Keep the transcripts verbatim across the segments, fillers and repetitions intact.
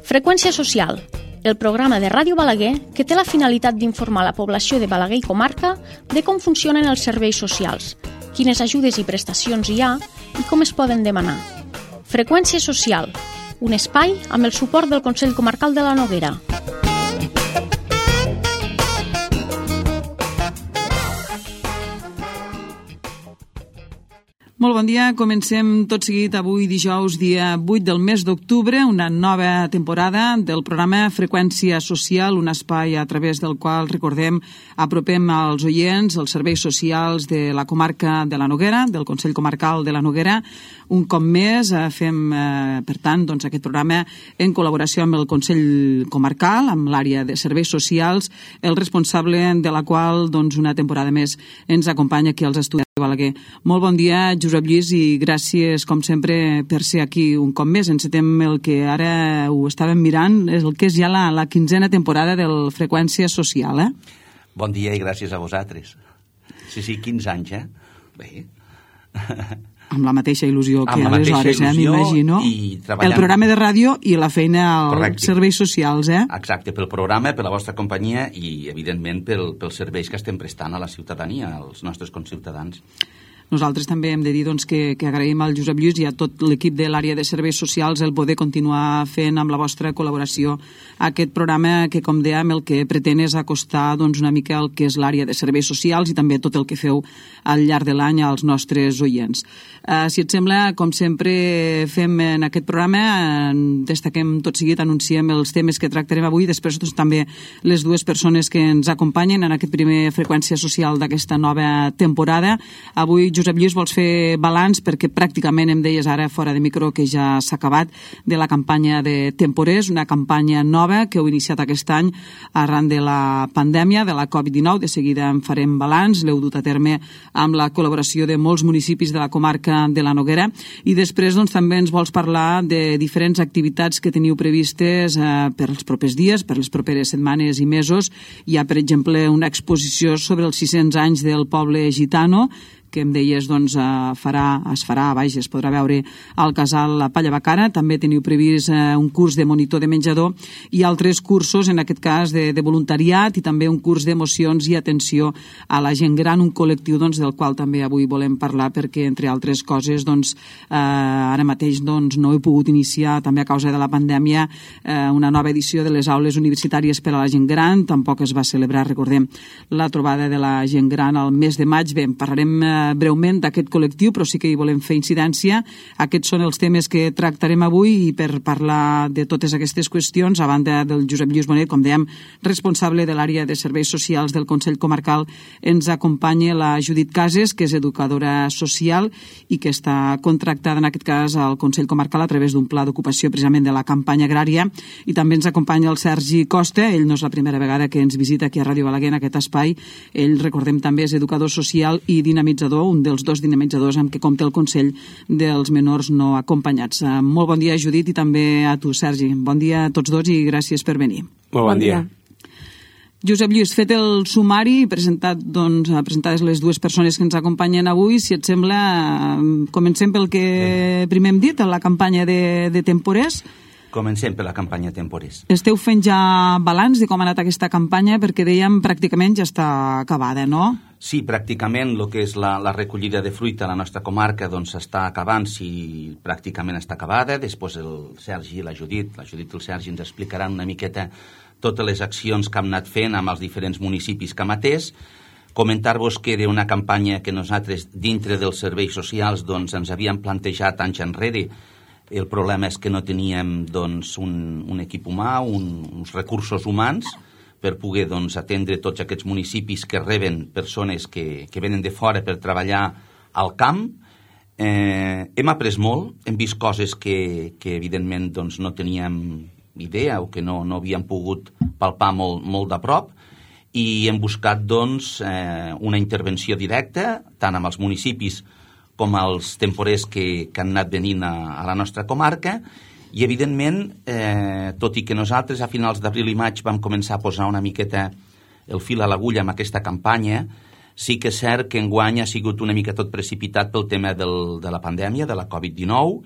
Freqüència social, el programa de Ràdio Balaguer que té la finalitat d'informar la població de Balaguer i comarca de com funcionen els serveis socials, quines ajudes i prestacions hi ha i com es poden demanar. Freqüència social, un espai amb el suport del Consell Comarcal de la Noguera. Molt bon dia, comencem tot seguit avui dijous, dia vuit del mes d'octubre, una nova temporada del programa Freqüència Social, un espai a través del qual, recordem, apropem als oients els serveis socials de la comarca de la Noguera, del Consell Comarcal de la Noguera. Un cop més fem, eh, per tant, doncs, aquest programa en col·laboració amb el Consell Comarcal, amb l'àrea de serveis socials, el responsable de la qual, doncs, una temporada més ens acompanya aquí als estudis de Balaguer. Molt bon dia, Josep Lluís, i gràcies, com sempre, per ser aquí un cop més. Encetem el que ara ho estàvem mirant, és el que és ja la, la quinzena temporada del Freqüència Social, eh? Bon dia i gràcies a vosaltres. Sí, sí, quinze anys, eh? Bé. Amb la mateixa il·lusió que aleshores, eh, m'imagino. Treballant... El programa de ràdio i la feina als Correcte. Serveis socials, eh? Exacte, pel programa, per la vostra companyia i, evidentment, pel, pels serveis que estem prestant a la ciutadania, als nostres conciutadans. Nosaltres també hem de dir doncs, que, que agraïm al Josep Lluís i a tot l'equip de l'àrea de serveis socials el poder continuar fent amb la vostra col·laboració aquest programa que, com dèiem, el que pretén és acostar doncs, una mica el que és l'àrea de serveis socials i també tot el que feu al llarg de l'any als nostres oients. Uh, si et sembla, com sempre fem en aquest programa, uh, destaquem tot seguit, anunciem els temes que tractarem avui, després doncs, també les dues persones que ens acompanyen en aquest primer Freqüència Social d'aquesta nova temporada. Avui, Josep Lluís, vols fer balanç perquè pràcticament em deies ara fora de micro que ja s'ha acabat de la campanya de temporers, una campanya nova que heu iniciat aquest any arran de la pandèmia, de la covid dinou. De seguida en farem balanç, l'heu dut a terme amb la col·laboració de molts municipis de la comarca de la Noguera i després doncs, també ens vols parlar de diferents activitats que teniu previstes eh, per als propers dies, per les properes setmanes i mesos. Hi ha, per exemple, una exposició sobre els sis-cents anys del poble gitano que em deies doncs, farà, es farà, vaja, es podrà veure al casal La Palla Bacana. També teniu previst eh, un curs de monitor de menjador i altres cursos, en aquest cas de, de voluntariat i també un curs d'emocions i atenció a la gent gran, un col·lectiu doncs, del qual també avui volem parlar perquè, entre altres coses, doncs, eh, ara mateix doncs, no he pogut iniciar, també a causa de la pandèmia, eh, una nova edició de les aules universitàries per a la gent gran. Tampoc es va celebrar, recordem, la trobada de la gent gran al mes de maig. Bé, en parlarem eh, breument d'aquest col·lectiu, però sí que hi volem fer incidència. Aquests són els temes que tractarem avui i per parlar de totes aquestes qüestions, a banda del Josep Lluís Bonet, com dèiem, responsable de l'àrea de serveis socials del Consell Comarcal, ens acompanya la Judit Cases, que és educadora social i que està contractada en aquest cas al Consell Comarcal a través d'un pla d'ocupació precisament de la campanya agrària, i també ens acompanya el Sergi Costa. Ell no és la primera vegada que ens visita aquí a Ràdio Balaguer en aquest espai. Ell, recordem, també és educador social i dinamitzador, un dels dos dinamitzadors amb què compta el Consell dels Menors No Acompanyats. Molt bon dia, Judit, i també a tu, Sergi. Bon dia a tots dos i gràcies per venir. Molt bon dia. Josep Lluís, fet el sumari, presentat, doncs, presentades les dues persones que ens acompanyen avui, si et sembla, comencem pel que primer hem dit, la campanya de, de temporers. Comencem per la campanya temporers. Esteu fent ja balanç de com ha anat aquesta campanya, perquè dèiem pràcticament ja està acabada, no? Sí, pràcticament el que és la, la recollida de fruita a la nostra comarca doncs està acabant, si pràcticament està acabada. Després el Sergi i la Judit, la Judit i el Sergi ens explicaran una miqueta totes les accions que hem anat fent amb els diferents municipis que hem atès. Comentar-vos que d'una campanya que nosaltres, dintre dels serveis socials, doncs ens havíem plantejat anys enrere. El problema és que no teníem doncs, un, un equip humà, un, uns recursos humans per poder doncs, atendre tots aquests municipis que reben persones que, que venen de fora per treballar al camp. Eh, hem après molt, hem vist coses que, que evidentment doncs, no teníem idea o que no, no havíem pogut palpar molt, molt de prop, i hem buscat doncs, eh, una intervenció directa tant amb els municipis com els temporers que, que han anat venint a, a la nostra comarca, i evidentment, eh, tot i que nosaltres a finals d'abril i maig vam començar a posar una miqueta el fil a l'agulla amb aquesta campanya, sí que és cert que enguany ha sigut una mica tot precipitat pel tema del, de la pandèmia, de la covid dinou.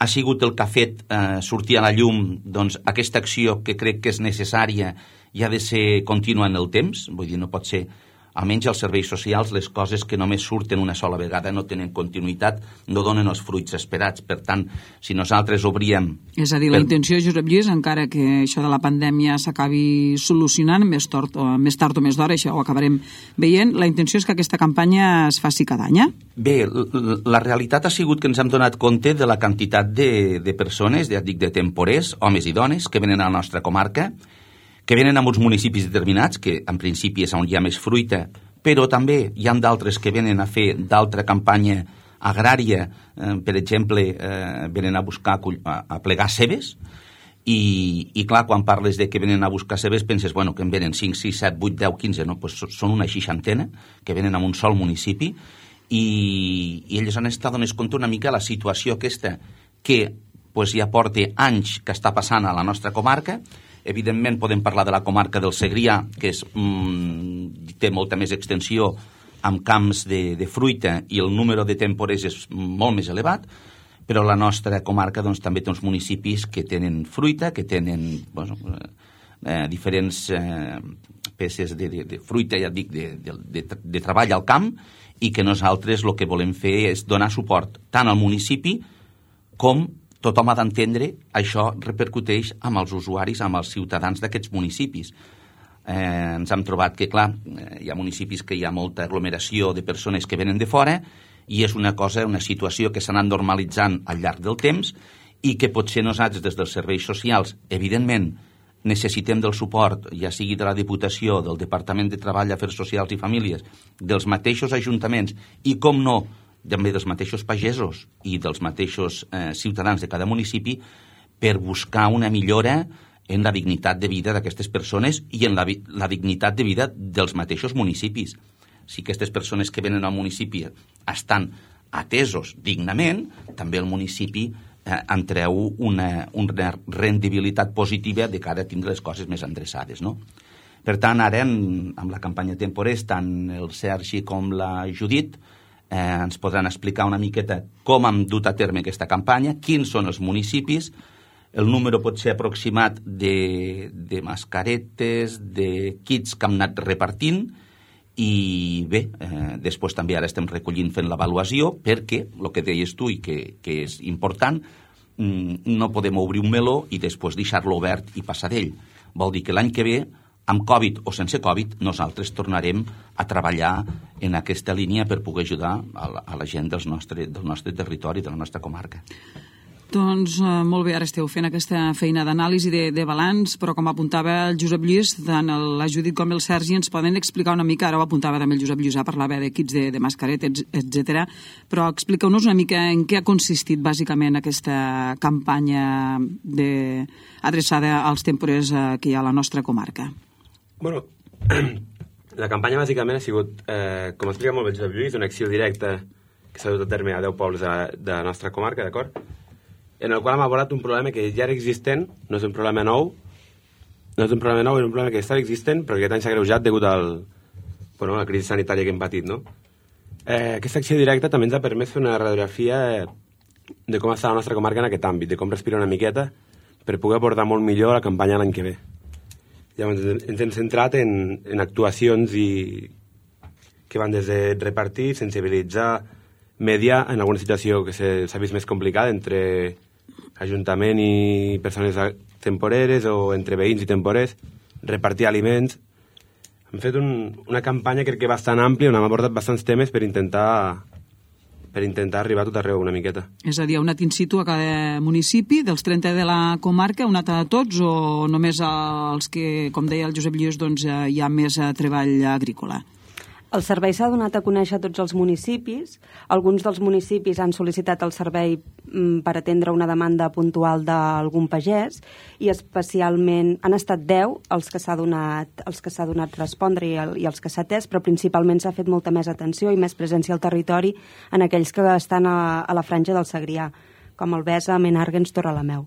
ha sigut el que ha fet eh, sortir a la llum doncs, aquesta acció que crec que és necessària i ha de ser contínua en el temps, vull dir, no pot ser, almenys als serveis socials, les coses que només surten una sola vegada no tenen continuïtat, no donen els fruits esperats. Per tant, si nosaltres obríem... És a dir, la per... intenció, Josep Lluís, encara que això de la pandèmia s'acabi solucionant més tard, o més tard o més d'hora, això ho acabarem veient, la intenció és que aquesta campanya es faci cada any? Bé, la realitat ha sigut que ens hem donat compte de la quantitat de, de persones, ja dic, de temporers, homes i dones, que venen a la nostra comarca, que venen a uns municipis determinats, que en principi és on hi ha més fruita, però també hi ha d'altres que venen a fer d'altra campanya agrària, eh, per exemple, eh, venen a buscar, a, a plegar cebes, i, i clar, quan parles de que venen a buscar cebes, penses, bueno, que en venen cinc, sis, set, vuit, deu, quinze, no? Pues són una seixantena que venen a un sol municipi, i, i ells han estat donant compte una mica la situació aquesta que pues, ja porta anys que està passant a la nostra comarca. Evidentment podem parlar de la comarca del Segrià, que és, mm, té molta més extensió amb camps de, de fruita i el número de temporers és molt més elevat, però la nostra comarca doncs, també té uns municipis que tenen fruita, que tenen bueno, eh, diferents eh, peces de, de, de fruita, ja dic, de, de, de, de treball al camp, i que nosaltres el que volem fer és donar suport tant al municipi com tothom ha d'entendre això repercuteix amb els usuaris, amb els ciutadans d'aquests municipis. Eh, ens hem trobat que, clar, hi ha municipis que hi ha molta aglomeració de persones que venen de fora i és una cosa, una situació que s'ha anat normalitzant al llarg del temps i que potser nosaltres, des dels serveis socials, evidentment, necessitem del suport, ja sigui de la Diputació, del Departament de Treball, Afers Socials i Famílies, dels mateixos ajuntaments i, com no, també dels mateixos pagesos i dels mateixos eh, ciutadans de cada municipi per buscar una millora en la dignitat de vida d'aquestes persones i en la, la dignitat de vida dels mateixos municipis. Si aquestes persones que venen al municipi estan atesos dignament, també el municipi eh, en treu una, una rendibilitat positiva de cara a tindre les coses més endreçades, no? Per tant, ara, en, amb la campanya Temporers, tant el Sergi com la Judit Eh, ens podran explicar una miqueta com hem dut a terme aquesta campanya, quins són els municipis, el número pot ser aproximat de, de mascaretes, de kits que hem anat repartint, i bé, eh, després també ara estem recollint fent l'avaluació, perquè, el que deies tu i que, que és important, no podem obrir un meló i després deixar-lo obert i passar d'ell. Vol dir que l'any que ve, amb Covid o sense Covid, nosaltres tornarem a treballar en aquesta línia per poder ajudar a la, a la gent dels nostre, del nostre territori, de la nostra comarca. Doncs eh, molt bé, ara esteu fent aquesta feina d'anàlisi de, de balanç, però com apuntava el Josep Lluís, tant el, la Judit com el Sergi ens poden explicar una mica, ara ho apuntava també el Josep Lluís, parlava de kits de, de mascaretes, etcètera, però expliqueu-nos una mica en què ha consistit bàsicament aquesta campanya de, adreçada als temporers eh, que hi ha a la nostra comarca. Bueno, la campanya bàsicament ha sigut, eh, com explica molt bé el Josep Lluís, una acció directa que s'ha dut a terme a deu pobles de, de la nostra comarca, d'acord? En el qual hem abordat un problema que ja era existent, no és un problema nou, no és un problema nou, és un problema que estava existent, però que aquest any s'ha greujat degut al, bueno, a la crisi sanitària que hem patit, no? Eh, aquesta acció directa també ens ha permès fer una radiografia de com està la nostra comarca en aquest àmbit, de com respira una miqueta, per poder abordar molt millor la campanya l'any que ve. Llavors ens hem centrat en, en actuacions i que van des de repartir, sensibilitzar, mediar en alguna situació que s'ha vist més complicada entre ajuntament i persones temporeres o entre veïns i temporers, repartir aliments. Hem fet un, una campanya crec que bastant àmplia on hem abordat bastants temes per intentar per intentar arribar a tot arreu una miqueta. És a dir, un in situ a cada municipi, dels trenta de la comarca, un a tots, o només els que, com deia el Josep Lluís, doncs, hi ha més treball agrícola? El servei s'ha donat a conèixer a tots els municipis. Alguns dels municipis han sol·licitat el servei per atendre una demanda puntual d'algun pagès i especialment han estat deu els que s'ha donat, els que s'ha donat respondre i, el, i els que s'ha atès, però principalment s'ha fet molta més atenció i més presència al territori en aquells que estan a, a la franja del Segrià, com el Besa, Menàrguens, Torrelameu.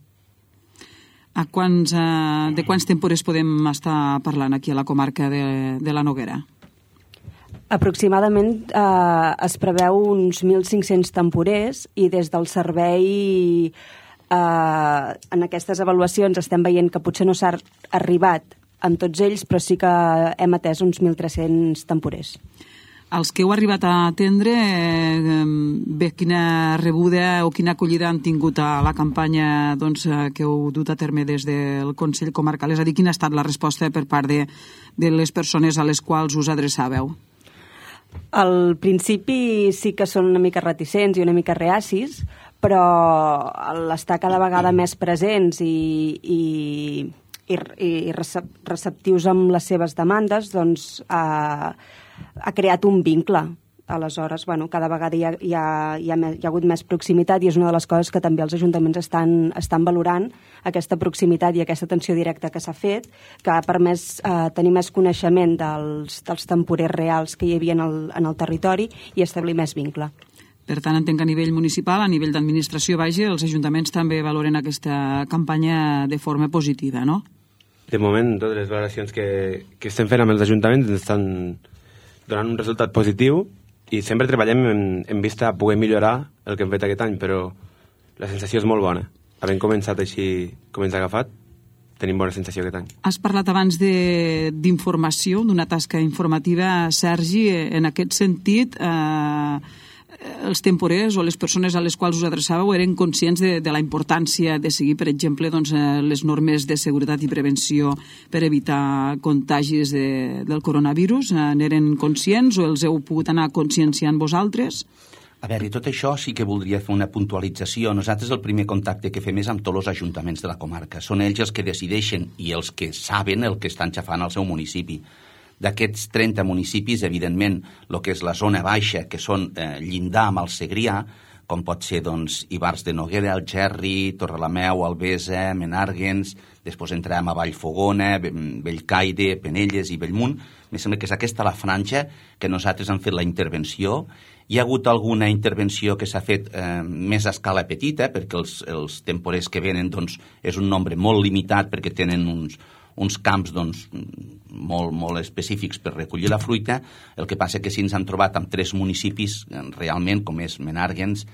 A quants, eh, de quants temporers podem estar parlant aquí a la comarca de, de la Noguera? Aproximadament eh, es preveu uns mil cinc-cents temporers i des del servei eh, en aquestes avaluacions estem veient que potser no s'ha arribat amb tots ells, però sí que hem atès uns mil tres-cents temporers. Els que heu arribat a atendre, eh, bé, quina rebuda o quina acollida han tingut a la campanya doncs, que heu dut a terme des del Consell Comarcal? És a dir, quina ha estat la resposta per part de, de les persones a les quals us adreçàveu? Al principi sí que són una mica reticents i una mica reacis, però l'estar cada vegada més presents i... i i, i receptius amb les seves demandes, doncs ha, ha creat un vincle. Aleshores, bueno, cada vegada hi ha, hi, ha, hi, ha, hi ha hagut més proximitat i és una de les coses que també els ajuntaments estan, estan valorant, aquesta proximitat i aquesta atenció directa que s'ha fet, que ha permès eh, tenir més coneixement dels, dels temporers reals que hi havia en el, en el territori i establir més vincle. Per tant, entenc que a nivell municipal, a nivell d'administració, vaja, els ajuntaments també valoren aquesta campanya de forma positiva, no? De moment, totes les valoracions que, que estem fent amb els ajuntaments ens estan donant un resultat positiu i sempre treballem en, en vista a poder millorar el que hem fet aquest any, però la sensació és molt bona. Havent començat així com ens ha agafat, tenim bona sensació aquest any. Has parlat abans d'informació, d'una tasca informativa, Sergi. En aquest sentit, eh, els temporers o les persones a les quals us adreçàveu eren conscients de, de la importància de seguir, per exemple, doncs, les normes de seguretat i prevenció per evitar contagis de, del coronavirus? N'eren conscients o els heu pogut anar conscienciant vosaltres? A veure, i tot això sí que voldria fer una puntualització. Nosaltres el primer contacte que fem és amb tots els ajuntaments de la comarca. Són ells els que decideixen i els que saben el que estan xafant al seu municipi. D'aquests trenta municipis, evidentment, el que és la zona baixa, que són eh, llindar amb el Segrià, com pot ser doncs, Ivars de Noguera, Algerri, Torrelameu, Albesa, Menàrguens, després entrem a Vallfogona, Bellcaire, Penelles i Bellmunt. Em sembla que és aquesta la franja que nosaltres hem fet la intervenció. Hi ha hagut alguna intervenció que s'ha fet eh, més a escala petita, perquè els, els temporers que venen doncs, és un nombre molt limitat, perquè tenen uns, uns camps doncs, molt, molt específics per recollir la fruita. El que passa que si ens han trobat amb tres municipis realment, com és Menàrguens,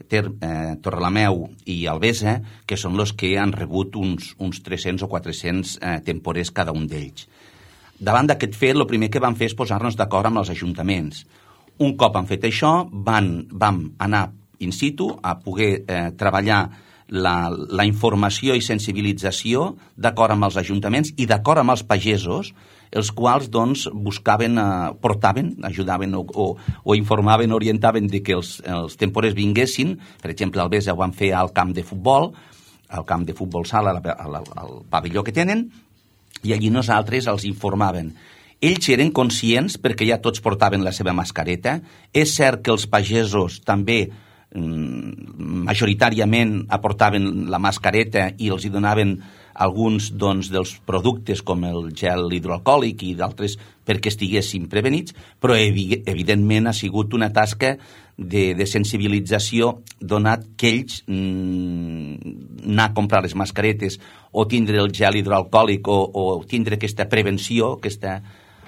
Ter, eh, Torrelameu i Albesa, que són els que han rebut uns, uns tres-cents o quatre-cents eh, temporers cada un d'ells. Davant d'aquest fet, el primer que vam fer és posar-nos d'acord amb els ajuntaments. Un cop han fet això, van, vam anar in situ a poder eh, treballar La, la informació i sensibilització d'acord amb els ajuntaments i d'acord amb els pagesos, els quals doncs, buscaven, eh, portaven, ajudaven o, o, o informaven, orientaven de que els, els temporers vinguessin. Per exemple, al Besa ho van fer al camp de futbol, al camp de futbol sala, al, al, al pavelló que tenen, i allí nosaltres els informaven. Ells eren conscients perquè ja tots portaven la seva mascareta. És cert que els pagesos també majoritàriament aportaven la mascareta i els hi donaven alguns doncs, dels productes com el gel hidroalcohòlic i d'altres perquè estiguessin prevenits, però evidentment ha sigut una tasca de, de sensibilització donat que ells mm, anar a comprar les mascaretes o tindre el gel hidroalcohòlic o, o tindre aquesta prevenció, aquesta,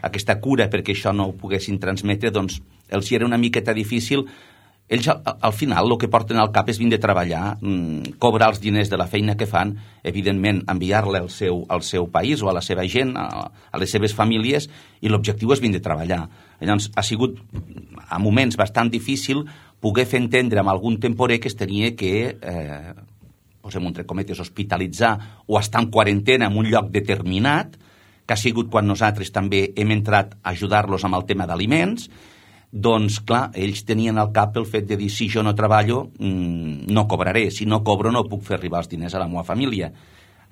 aquesta cura perquè això no ho poguessin transmetre, doncs els hi era una miqueta difícil. Ells, al, al final, el que porten al cap és vindre a treballar, mmm, cobrar els diners de la feina que fan, evidentment, enviar-la al seu, al seu país o a la seva gent, a, a les seves famílies, i l'objectiu és vindre a treballar. Llavors, ha sigut, a moments bastant difícil, poder fer entendre amb algun temporer que es tenia que, eh, posem entre cometes, hospitalitzar o estar en quarantena en un lloc determinat, que ha sigut quan nosaltres també hem entrat a ajudar-los amb el tema d'aliments. Doncs, clar, ells tenien al cap el fet de dir si jo no treballo, mmm, no cobraré, si no cobro no puc fer arribar els diners a la meva família.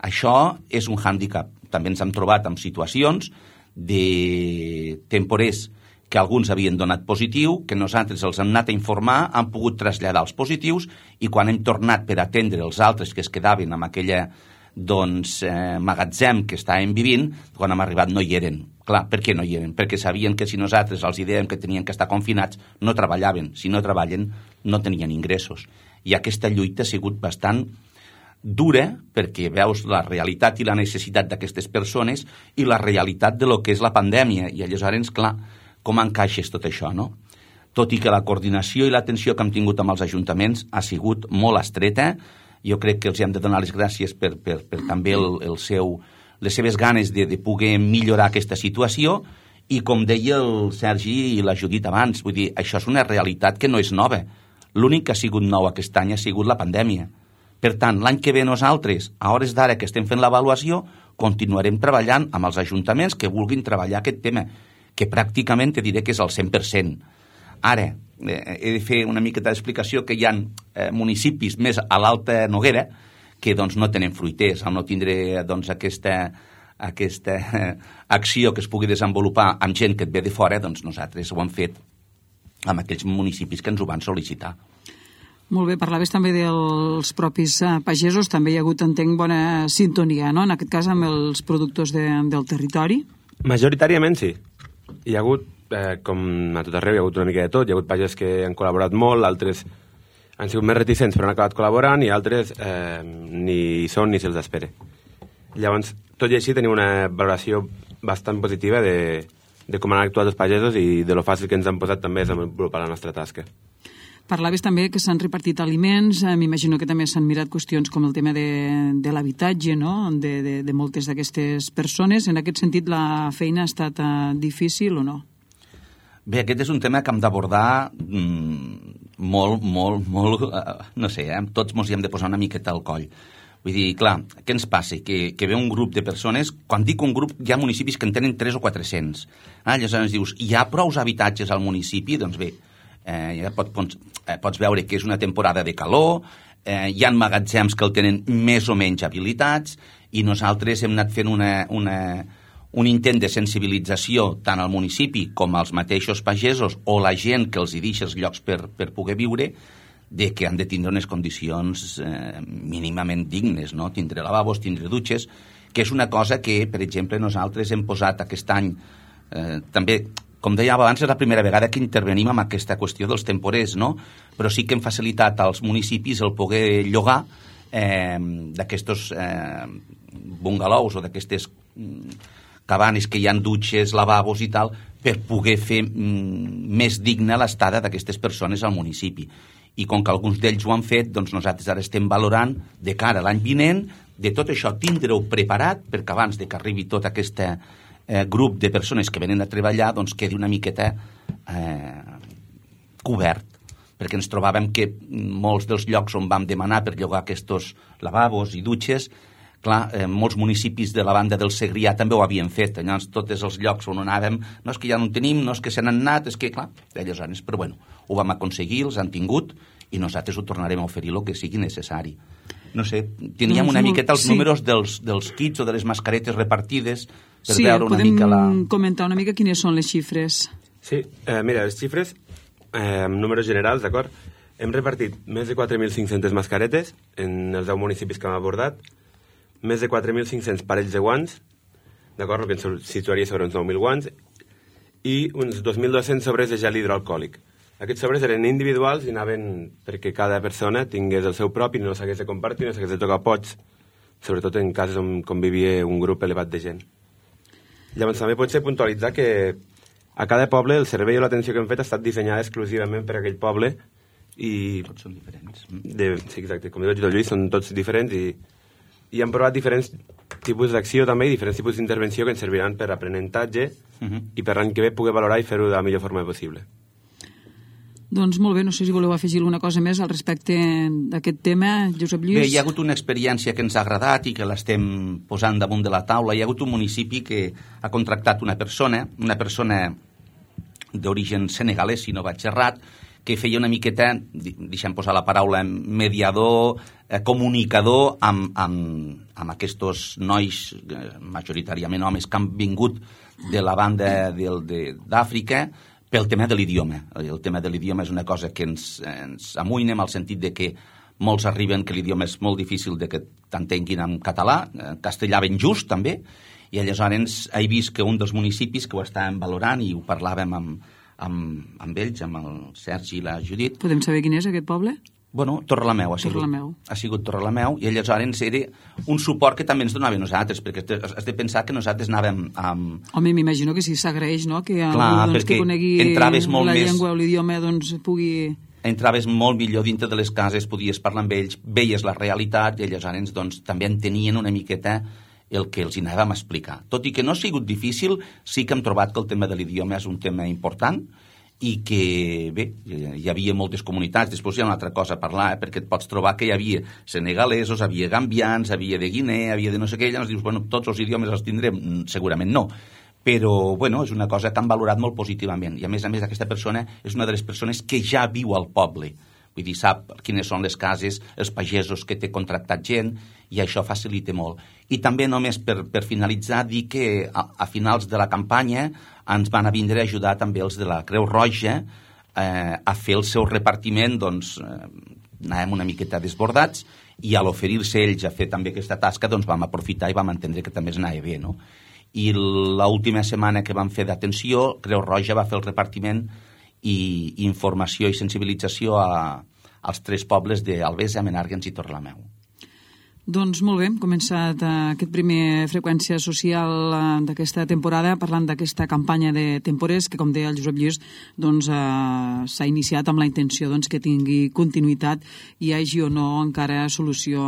Això és un hàndicap. També ens hem trobat en situacions de temporers que alguns havien donat positiu, que nosaltres els hem anat a informar, han pogut traslladar els positius i quan hem tornat per atendre els altres que es quedaven amb aquella doncs, eh, magatzem que estàvem vivint, quan hem arribat no hi eren. Clar, per què no hi eren? Perquè sabien que si nosaltres els dèiem que tenien que estar confinats, no treballaven. Si no treballen, no tenien ingressos. I aquesta lluita ha sigut bastant dura perquè veus la realitat i la necessitat d'aquestes persones i la realitat de lo que és la pandèmia. I aleshores, clar, com encaixes tot això, no? Tot i que la coordinació i l'atenció que hem tingut amb els ajuntaments ha sigut molt estreta, jo crec que els hem de donar les gràcies per, per, per també el, el seu, les seves ganes de, de poder millorar aquesta situació, i com deia el Sergi i la Judit abans, vull dir, això és una realitat que no és nova. L'únic que ha sigut nou aquest any ha sigut la pandèmia. Per tant, l'any que ve nosaltres, a hores d'ara que estem fent l'avaluació, continuarem treballant amb els ajuntaments que vulguin treballar aquest tema, que pràcticament te diré que és el cent per cent. Ara, eh, he de fer una miqueta d'explicació que hi ha eh, municipis més a l'Alta Noguera que doncs, no tenen fruiters, al no tindre doncs, aquesta, aquesta eh, acció que es pugui desenvolupar amb gent que et ve de fora, doncs nosaltres ho hem fet amb aquells municipis que ens ho van sol·licitar. Molt bé, parlaves també dels propis pagesos, també hi ha hagut, entenc, bona sintonia, no?, en aquest cas amb els productors de, del territori? Majoritàriament sí. Hi ha hagut, eh, com a tot arreu, hi ha hagut una mica de tot, hi ha hagut pagesos que han col·laborat molt, altres han sigut més reticents però han acabat col·laborant i altres eh, ni hi són ni se'ls espera. Llavors, tot i així tenim una valoració bastant positiva de, de com han actuat els pagesos i de lo fàcil que ens han posat també a desenvolupar la nostra tasca. Parlaves també que s'han repartit aliments, eh, m'imagino que també s'han mirat qüestions com el tema de, de l'habitatge, no?, de, de, de moltes d'aquestes persones. En aquest sentit, la feina ha estat eh, difícil o no? Bé, aquest és un tema que hem d'abordar mmm, molt, molt, molt, eh, no sé, eh, tots ens hi hem de posar una miqueta al coll. Vull dir, clar, què ens passa? Que, que ve un grup de persones, quan dic un grup, hi ha municipis que en tenen tres o quatre-cents. Ah, llavors dius, hi ha prous habitatges al municipi? Doncs bé, eh, ja pot, pots, eh, pots veure que és una temporada de calor, eh, hi ha magatzems que el tenen més o menys habilitats, i nosaltres hem anat fent una, una, un intent de sensibilització tant al municipi com als mateixos pagesos o la gent que els hi deixa els llocs per, per poder viure, de que han de tindre unes condicions eh, mínimament dignes, no? Tindre lavabos, tindre dutxes, que és una cosa que, per exemple, nosaltres hem posat aquest any, eh, també, com deia abans, és la primera vegada que intervenim amb aquesta qüestió dels temporers, no? Però sí que hem facilitat als municipis el poder llogar eh, d'aquestos eh, bungalous o d'aquestes cabanes que hi ha dutxes, lavabos i tal, per poder fer mm, més digna l'estada d'aquestes persones al municipi. I com que alguns d'ells ho han fet, doncs nosaltres ara estem valorant de cara a l'any vinent de tot això tindre-ho preparat perquè abans de que arribi tot aquest eh, grup de persones que venen a treballar doncs quedi una miqueta eh, cobert, perquè ens trobàvem que molts dels llocs on vam demanar per llogar aquests lavabos i dutxes, clar, eh, molts municipis de la banda del Segrià també ho havien fet, llavors tots els llocs on anàvem, no és que ja no en tenim, no és que se n'han anat, és que, clar, aleshores, però bueno, ho vam aconseguir, els han tingut, i nosaltres ho tornarem a oferir el que sigui necessari. No sé, teníem doncs, una miqueta els sí. números dels, dels kits o de les mascaretes repartides per sí, veure una mica la... Sí, podem comentar una mica quines són les xifres. Sí, eh, mira, les xifres, eh, amb números generals, d'acord? Hem repartit més de quatre mil cinc-centes mascaretes en els deu municipis que hem abordat, més de quatre mil cinc-cents parells de guants, d'acord, el que ens situaria sobre uns nou mil guants, i uns dos mil dos-cents sobres de gel hidroalcohòlic. Aquests sobres eren individuals i anaven perquè cada persona tingués el seu propi, no s'hagués de compartir, no s'hagués de tocar pots, sobretot en casos on convivia un grup elevat de gent. Llavors també pot ser puntualitzar que a cada poble el servei o l'atenció que hem fet ha estat dissenyada exclusivament per a aquell poble i... Tots són diferents. De, sí, exacte, com diu el Lluís, són tots diferents i, i hem provat diferents tipus d'acció també i diferents tipus d'intervenció que ens serviran per aprenentatge uh-huh. i per l'any que ve poder valorar i fer-ho de la millor forma possible. Doncs molt bé, no sé si voleu afegir alguna cosa més al respecte d'aquest tema, Josep Lluís. Bé, hi ha hagut una experiència que ens ha agradat i que l'estem posant damunt de la taula. Hi ha hagut un municipi que ha contractat una persona, una persona d'origen senegalès, si no vaig errat, que feia una miqueta, deixem posar la paraula, mediador, eh, comunicador amb, amb, amb aquests nois, eh, majoritàriament homes, que han vingut de la banda d'Àfrica, pel tema de l'idioma. El tema de l'idioma és una cosa que ens, ens amoïna en el sentit de que molts arriben que l'idioma és molt difícil de que t'entenguin en català, en castellà ben just també, i aleshores he vist que un dels municipis que ho estàvem valorant i ho parlàvem amb, amb, amb ells, amb el Sergi i la Judit. Podem saber quin és aquest poble? Bueno, Torrelameu ha sigut. Torrelameu. Ha sigut Torrelameu, i aleshores era un suport que també ens donava a nosaltres, perquè has de pensar que nosaltres anàvem amb... Home, m'imagino que sí, s'agraeix, no?, que Clar, algú doncs, que conegui la més... llengua o l'idioma doncs, pugui entraves molt millor dintre de les cases, podies parlar amb ells, veies la realitat i aleshores doncs, també entenien una miqueta el que els hi anàvem a explicar. Tot i que no ha sigut difícil, sí que hem trobat que el tema de l'idioma és un tema important i que, bé, hi havia moltes comunitats. Després hi ha una altra cosa a parlar, eh, perquè et pots trobar que hi havia senegalesos, havia gambians, havia de Guinea, havia de no sé què, i llavors dius, bueno, tots els idiomes els tindrem? Segurament no. Però, bueno, és una cosa que han valorat molt positivament. I, a més a més, aquesta persona és una de les persones que ja viu al poble. Vull dir, sap quines són les cases, els pagesos que té contractat gent, i això facilita molt. I també, només per, per finalitzar, dir que a, a finals de la campanya ens van a vindre a ajudar també els de la Creu Roja eh, a fer el seu repartiment, doncs eh, anàvem una miqueta desbordats, i a l'oferir-se ells a fer també aquesta tasca, doncs vam aprofitar i vam entendre que també es anava bé, no? I l'última setmana que vam fer d'atenció, Creu Roja va fer el repartiment i informació i sensibilització a, als tres pobles d'Albesa, Menàrguens i Torrelameu. Doncs molt bé, hem començat aquest primer Freqüència Social d'aquesta temporada parlant d'aquesta campanya de temporers que, com deia el Josep Lluís, doncs, eh, s'ha iniciat amb la intenció doncs, que tingui continuïtat i hi hagi o no encara solució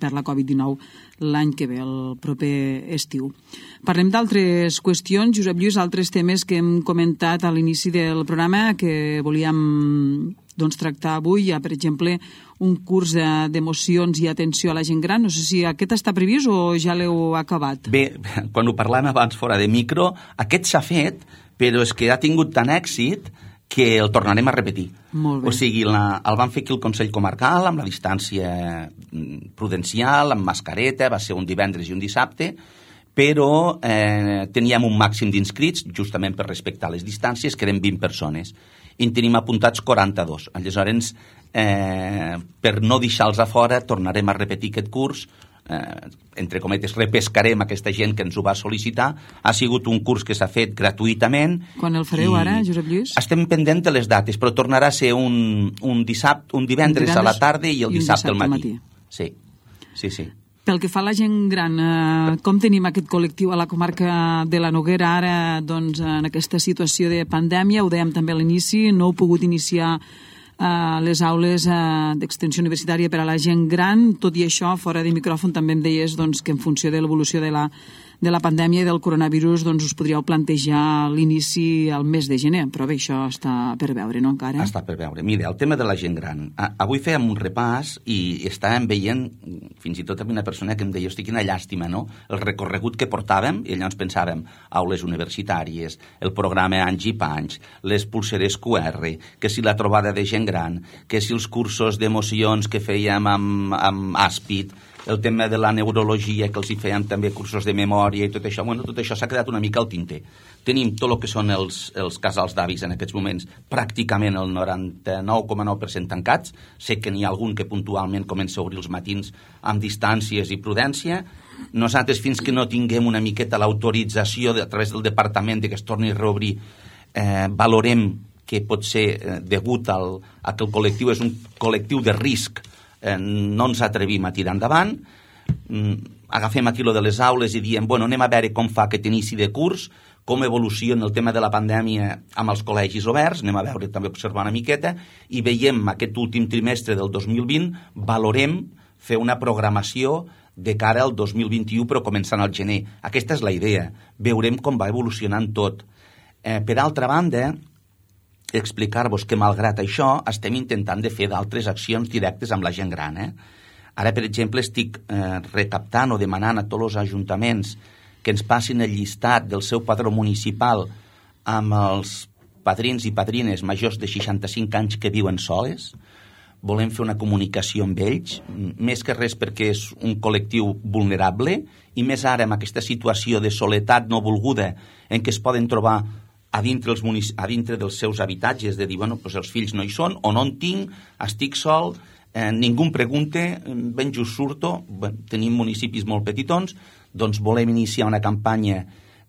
per la covid dinou l'any que ve, el proper estiu. Parlem d'altres qüestions, Josep Lluís, altres temes que hem comentat a l'inici del programa que volíem doncs, tractar avui. Hi ha, per exemple, un curs d'emocions i atenció a la gent gran. No sé si aquest està previst o ja l'heu acabat. Bé, quan ho parlàvem abans fora de micro, aquest s'ha fet, però és que ha tingut tant èxit que el tornarem a repetir. Molt bé. O sigui, la, el vam fer aquí al Consell Comarcal, amb la distància prudencial, amb mascareta, va ser un divendres i un dissabte, però eh, teníem un màxim d'inscrits, justament per respectar les distàncies, que eren vint persones. I en tenim apuntats quaranta-dos. Aleshores, eh, per no deixar-los a fora, tornarem a repetir aquest curs, eh, entre cometes, repescarem aquesta gent que ens ho va sol·licitar. Ha sigut un curs que s'ha fet gratuïtament. Quan el fareu ara, Josep Lluís? Estem pendents de les dates, però tornarà a ser un, un, dissabte, un divendres, divendres a la tarda i el i dissabte, dissabte al matí. matí. Sí, sí, sí. Pel que fa a la gent gran, eh, com tenim aquest col·lectiu a la comarca de la Noguera ara, doncs, en aquesta situació de pandèmia? Ho dèiem també a l'inici, no heu pogut iniciar eh, les aules eh, d'extensió universitària per a la gent gran. Tot i això, fora de micròfon també em deies doncs, que en funció de l'evolució de la de la pandèmia i del coronavirus, doncs us podríeu plantejar l'inici al mes de gener, però bé, això està per veure, no, encara? Està per veure. Mira, el tema de la gent gran. Avui fèiem un repàs i estàvem veient, fins i tot amb una persona que em deia, hosti, quina llàstima, no?, el recorregut que portàvem, i llavors pensàvem, aules universitàries, el programa Anys i Panys, les pulseres Q R, que si la trobada de gent gran, que si els cursos d'emocions que fèiem amb, amb Àspid, el tema de la neurologia, que els hi fèiem també cursos de memòria i tot això. Bueno, tot això s'ha quedat una mica al tinter. Tenim tot el que són els, els casals d'avis en aquests moments, pràcticament el noranta-nou coma nou per cent tancats. Sé que n'hi ha algun que puntualment comença a obrir els matins amb distàncies i prudència. Nosaltres, fins que no tinguem una miqueta l'autorització a través del departament de que es torni a reobrir, eh, valorem que pot ser eh, degut al, a que el col·lectiu és un col·lectiu de risc. Eh, no ens atrevim a tirar endavant, mm, agafem aquí lo de les aules i diem, bueno, anem a veure com fa aquest inici de curs, com evoluciona el tema de la pandèmia amb els col·legis oberts, anem a veure, també observar una miqueta, i veiem aquest últim trimestre del dos mil vint, valorem fer una programació de cara al dos mil vint-i-u, però començant al gener. Aquesta és la idea, veurem com va evolucionant tot. Eh, per altra banda, explicar-vos que, malgrat això, estem intentant de fer d'altres accions directes amb la gent gran. Eh? Ara, per exemple, estic eh, recaptant o demanant a tots els ajuntaments que ens passin el llistat del seu padró municipal amb els padrins i padrines majors de seixanta-cinc anys que viuen soles. Volem fer una comunicació amb ells, més que res perquè és un col·lectiu vulnerable, i més ara amb aquesta situació de soledat no volguda en què es poden trobar a dintre, els munic... a dintre dels seus habitatges, de dir, bueno, doncs els fills no hi són, o no en tinc, estic sol, eh, ningú em pregunta, ben just surto, bueno, tenim municipis molt petitons, doncs volem iniciar una campanya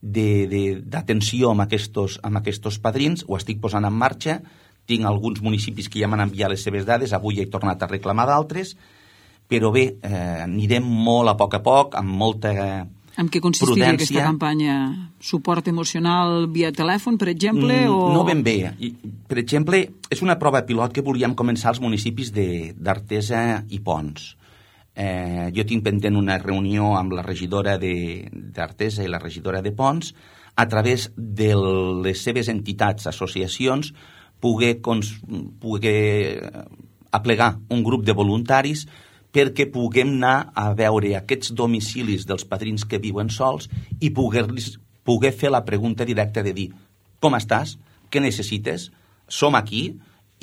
d'atenció amb aquests, amb aquests padrins, ho estic posant en marxa, tinc alguns municipis que ja m'han enviat les seves dades, avui he tornat a reclamar d'altres, però bé, eh, anirem molt a poc a poc, amb molta En què consistiria prudència. Aquesta campanya? Suport emocional via telèfon, per exemple? Mm, o... No ben bé. I, per exemple, és una prova pilot que volíem començar als municipis d'Artesa i Ponts. Eh, jo tinc pendent una reunió amb la regidora d'Artesa i la regidora de Ponts a través de les seves entitats, associacions, poder, cons, poder aplegar un grup de voluntaris perquè puguem anar a veure aquests domicilis dels padrins que viuen sols i poder, poder fer la pregunta directa de dir com estàs? Què necessites? Som aquí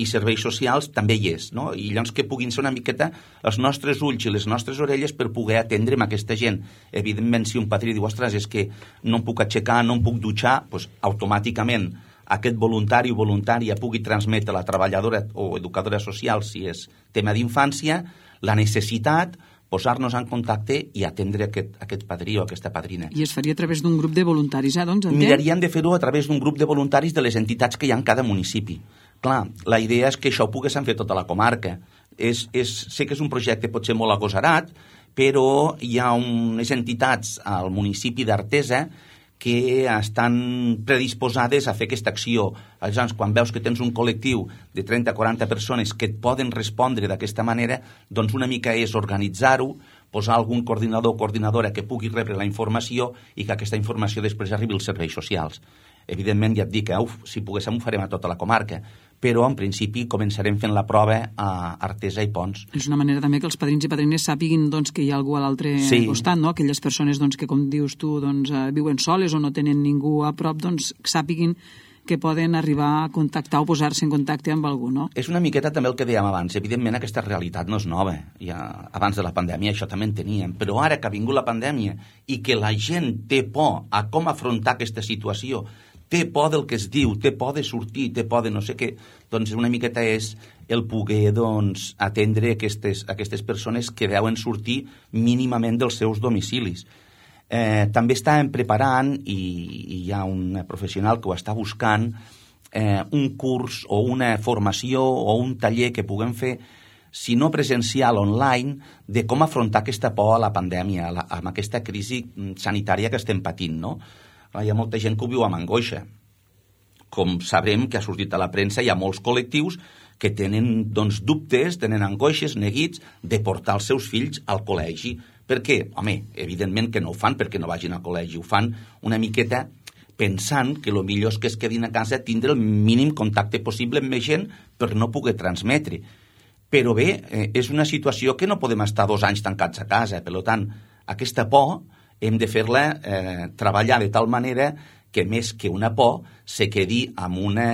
i serveis socials també hi és, no? I llavors que puguin ser una miqueta els nostres ulls i les nostres orelles per poder atendre amb aquesta gent. Evidentment, si un padrí diu, ostres, és que no em puc aixecar, no em puc dutxar, doncs automàticament aquest voluntari o voluntària pugui transmetre a la treballadora o educadora social, si és tema d'infància, la necessitat, posar-nos en contacte i atendre aquest, aquest padrí o aquesta padrina. I es faria a través d'un grup de voluntaris, eh? Doncs, Miraríem de fer-ho a través d'un grup de voluntaris de les entitats que hi ha en cada municipi. Clar, la idea és que això ho poguéssim fer tota la comarca. És, és, sé que és un projecte potser molt agosarat, però hi ha unes entitats al municipi d'Artesa que estan predisposades a fer aquesta acció. Aleshores, quan veus que tens un col·lectiu de trenta a quaranta persones que et poden respondre d'aquesta manera, doncs una mica és organitzar-ho, posar algun coordinador o coordinadora que pugui rebre la informació i que aquesta informació després arribi als serveis socials. Evidentment, ja et dic que uf, si poguéssim ho farem a tota la comarca, però en principi començarem fent la prova a Artesa i Ponts. És una manera també que els padrins i padrines sàpiguin doncs, que hi ha algú a l'altre sí. costat, no? Aquelles persones doncs, que, com dius tu, doncs, viuen soles o no tenen ningú a prop, doncs sàpiguin que poden arribar a contactar o posar-se en contacte amb algú, no? És una miqueta també el que dèiem abans. Evidentment, aquesta realitat no és nova. Ja, abans de la pandèmia això també en teníem. Però ara que ha vingut la pandèmia i que la gent té por a com afrontar aquesta situació, té por del que es diu, té por de sortir, té por de no sé què, doncs una miqueta és el poder doncs, atendre aquestes, aquestes persones que deuen sortir mínimament dels seus domicilis. Eh, també estàvem preparant, i, i hi ha un professional que ho està buscant, eh, un curs o una formació o un taller que puguem fer, si no presencial, online, de com afrontar aquesta por a la pandèmia, a la, amb aquesta crisi sanitària que estem patint, no? Hi ha molta gent que ho viu amb angoixa. Com sabrem que ha sortit a la premsa, hi ha molts col·lectius que tenen doncs, dubtes, tenen angoixes, neguits, de portar els seus fills al col·legi. Per què? Home, evidentment que no ho fan perquè no vagin al col·legi. Ho fan una miqueta pensant que el millor és que es quedin a casa, tindre el mínim contacte possible amb més gent per no poder transmetre. Però bé, eh, és una situació que no podem estar dos anys tancats a casa. Per tant, aquesta por hem de fer-la eh, treballar de tal manera que més que una por se quedi amb una,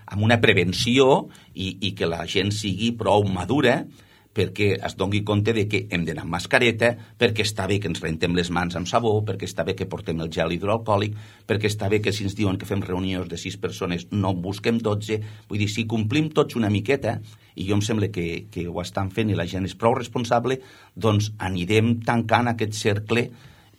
amb una prevenció i, i que la gent sigui prou madura perquè es doni compte de que hem d'anar amb mascareta, perquè està bé que ens rentem les mans amb sabó, perquè està bé que portem el gel hidroalcohòlic, perquè està bé que si ens diuen que fem reunions de sis persones no en busquem dotze. Vull dir, si complim tots una miqueta, i jo em sembla que, que ho estan fent i la gent és prou responsable, doncs anirem tancant aquest cercle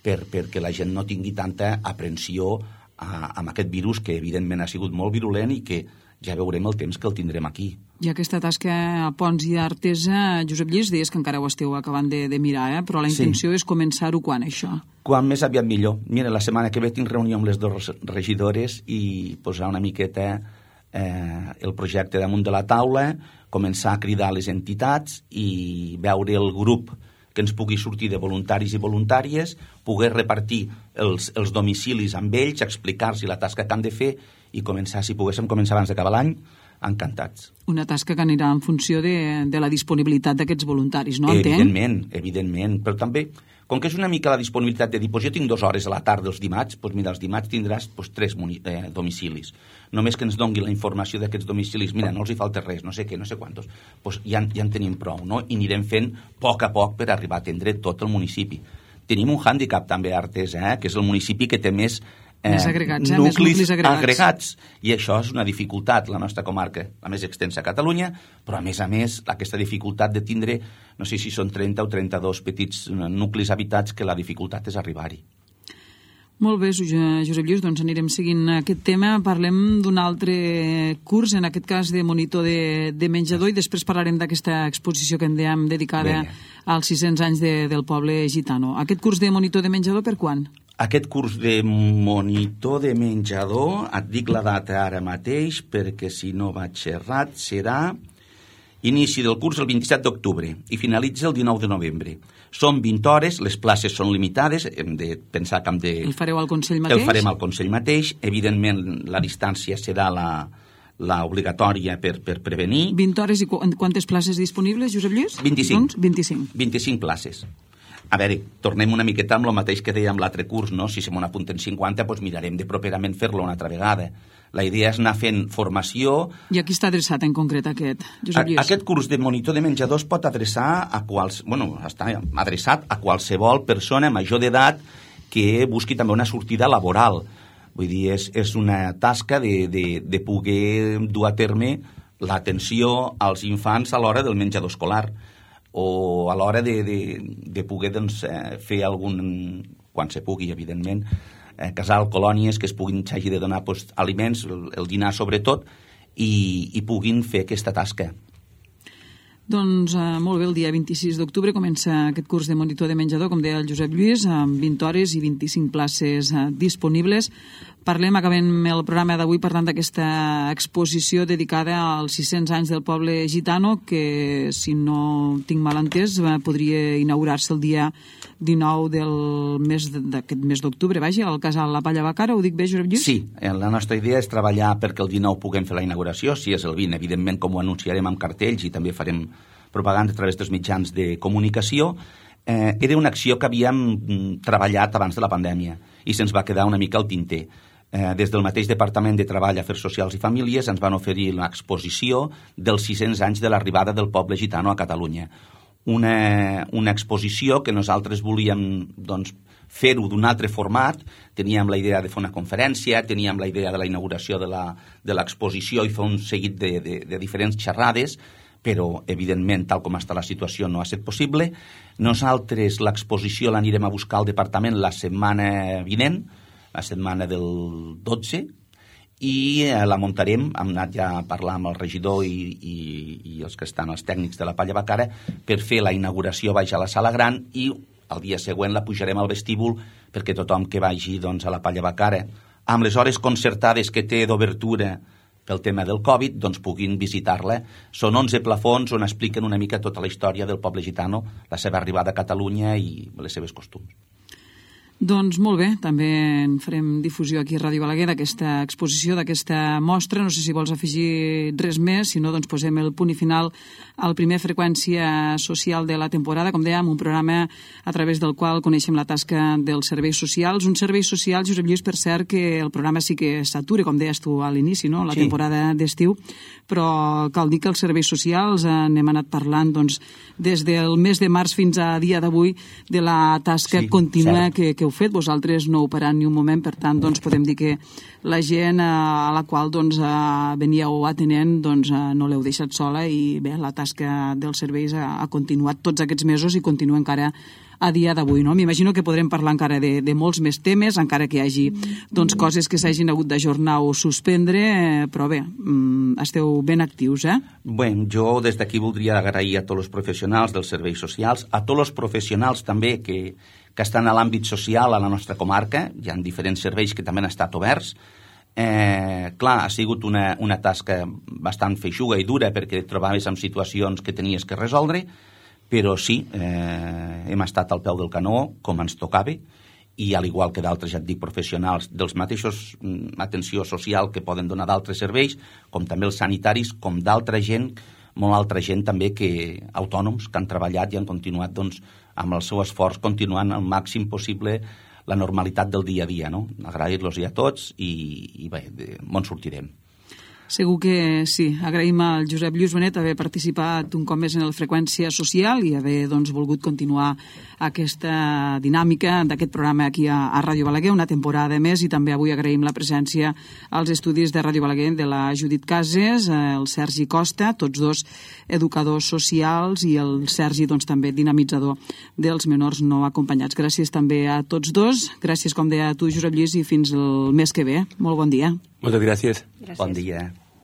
per, perquè la gent no tingui tanta aprensió a, amb aquest virus que evidentment ha sigut molt virulent i que ja veurem el temps que el tindrem aquí. I aquesta tasca a Ponts i a Artesa, Josep Lluís, deies que encara ho esteu acabant de, de mirar, eh? Però la intenció sí. és començar-ho quan, això? Quan més aviat millor. Mira, la setmana que ve tinc reunió amb les dues regidores i posar una miqueta eh, el projecte damunt de la taula, començar a cridar les entitats i veure el grup que ens pugui sortir de voluntaris i voluntàries, poder repartir els, els domicilis amb ells, explicar-los la tasca que han de fer i començar, si poguéssim començar abans d'acabar l'any, encantats. Una tasca que anirà en funció de, de la disponibilitat d'aquests voluntaris, no? Evidentment, evidentment, però també, com que és una mica la disponibilitat de dir, doncs jo tinc dues hores a la tarda els dimarts, doncs mira, els dimarts tindràs doncs, tres eh, domicilis. Només que ens doni la informació d'aquests domicilis, mira, no els hi falta res, no sé què, no sé quantos, doncs ja, ja en tenim prou, no? I anirem fent a poc a poc per arribar a atendre tot el municipi. Tenim un hàndicap també a Artesa, eh, que és el municipi que té més Eh, més agregats, eh? nuclis, més nuclis agregats. agregats, i això és una dificultat, la nostra comarca, la més extensa a Catalunya, però a més a més aquesta dificultat de tindre, no sé si són trenta o trenta-dos petits nuclis habitats, que la dificultat és arribar-hi. Molt bé, Josep Lluís, doncs anirem seguint aquest tema. Parlem d'un altre curs, en aquest cas de monitor de, de menjador, i després parlarem d'aquesta exposició que en dèiem dedicada Bé. als sis-cents anys de, del poble gitano. Aquest curs de monitor de menjador per quan? Aquest curs de monitor de menjador, et dic la data ara mateix, perquè si no vaig errat, serà inici del curs el vint-i-set d'octubre i finalitza el dinou de novembre. Són vint hores, les places són limitades, hem de pensar que hem de... El fareu al Consell mateix? El farem al Consell mateix. Evidentment, la distància serà la, la obligatòria per, per prevenir. vint hores i qu quantes places disponibles, Josep Lluís? vint-i-cinc. Doncs vint-i-cinc. vint-i-cinc places. A veure, tornem una miqueta amb el mateix que dèiem l'altre curs, no? Si se m'ho apunten cinquanta, doncs mirarem de properament fer-lo una altra vegada. La idea és anar fent formació... I a qui està adreçat en concret aquest, Josep Lluís? Aquest curs de monitor de menjador es pot adreçar a quals... Bueno, està adreçat a qualsevol persona major d'edat que busqui també una sortida laboral. Vull dir, és, és una tasca de, de, de poder dur a terme l'atenció als infants a l'hora del menjador escolar, o a l'hora de, de, de poder doncs, eh, fer algun, quan se pugui, evidentment, eh, casal, colònies, que es puguin, s'hagi de donar doncs, aliments, el, el dinar sobretot, i, i puguin fer aquesta tasca. Doncs eh, molt bé, el dia vint-i-sis d'octubre comença aquest curs de monitor de menjador, com deia el Josep Lluís, amb vint hores i vint-i-cinc places eh, disponibles. Parlem, acabem el programa d'avui parlant d'aquesta exposició dedicada als sis-cents anys del poble gitano, que, si no tinc mal entès, podria inaugurar-se el dia dinou del mes d'aquest mes d'octubre, vaja, al casal La Palla Bacara. Ho dic bé, Josep Lluís? Sí, la nostra idea és treballar perquè el dinou puguem fer la inauguració. Si és el vint, evidentment, com ho anunciarem amb cartells i també farem propaganda a través dels mitjans de comunicació. Eh, era una acció que havíem treballat abans de la pandèmia i se'ns va quedar una mica al tinter. Eh, des del mateix Departament de Treball, Afers Socials i Famílies ens van oferir l'exposició dels sis-cents anys de l'arribada del poble gitano a Catalunya. Una, una exposició que nosaltres volíem doncs, fer-ho d'un altre format. Teníem la idea de fer una conferència, teníem la idea de la inauguració de l'exposició i fer un seguit de, de, de diferents xerrades, però, evidentment, tal com està la situació, no ha estat possible. Nosaltres l'exposició l'anirem a buscar al departament la setmana vinent, la setmana del dotze, i eh, la muntarem. Hem anat ja a parlar amb el regidor i, i, i els que estan, els tècnics de la Palla Bacara, per fer la inauguració baix a la sala gran, i el dia següent la pujarem al vestíbul perquè tothom que vagi doncs, a la Palla Bacara, amb les hores concertades que té d'obertura pel tema del Covid, doncs puguin visitar-la. Són onze plafons on expliquen una mica tota la història del poble gitano, la seva arribada a Catalunya i les seves costums. Doncs molt bé, també en farem difusió aquí a Ràdio Balaguer d'aquesta exposició, d'aquesta mostra. No sé si vols afegir res més, si no, doncs posem el punt i final al primer Freqüència Social de la temporada, com dèiem, un programa a través del qual coneixem la tasca dels serveis socials. Un servei social, Josep Lluís, per cert, que el programa sí que s'atura, com deies tu a l'inici, no?, la sí. temporada d'estiu, però cal dir que els serveis socials eh, n'hem anat parlant doncs, des del mes de març fins a dia d'avui de la tasca sí, contínua que, que heu fet. Vosaltres no heu parat ni un moment, per tant, doncs, podem dir que la gent eh, a la qual doncs, eh, veníeu atenent doncs, eh, no l'heu deixat sola i bé, la tasca dels serveis ha, ha continuat tots aquests mesos i continua encara a dia d'avui, no? M'imagino que podrem parlar encara de, de molts més temes, encara que hi hagi doncs, coses que s'hagin hagut d'ajornar o suspendre, eh, però bé, mm, esteu ben actius, eh? Bé, jo des d'aquí voldria agrair a tots els professionals dels serveis socials, a tots els professionals també que, que estan a l'àmbit social a la nostra comarca. Hi ha diferents serveis que també han estat oberts. Eh, clar, ha sigut una, una tasca bastant feixuga i dura perquè et trobaves en situacions que tenies que resoldre, però sí, eh, hem estat al peu del canó, com ens tocava, i al igual que d'altres, ja et dic, professionals dels mateixos mm, atenció social que poden donar d'altres serveis, com també els sanitaris, com d'altra gent, molt altra gent també que autònoms que han treballat i han continuat doncs, amb el seu esforç, continuant al màxim possible la normalitat del dia a dia, no? Agrair-los a tots i, i bé, de, on sortirem. Segur que sí. Agraïm al Josep Lluís Benet haver participat un cop més en el Freqüència Social i haver doncs, volgut continuar aquesta dinàmica d'aquest programa aquí a, a Ràdio Balaguer, una temporada més, i també avui agraïm la presència als estudis de Ràdio Balaguer de la Judit Cases, el Sergi Costa, tots dos educadors socials, i el Sergi doncs, també dinamitzador dels menors no acompanyats. Gràcies també a tots dos. Gràcies, com deia tu, Josep Lluís, i fins el mes que ve. Molt bon dia. Moltes gràcies. Gràcies. Bon dia.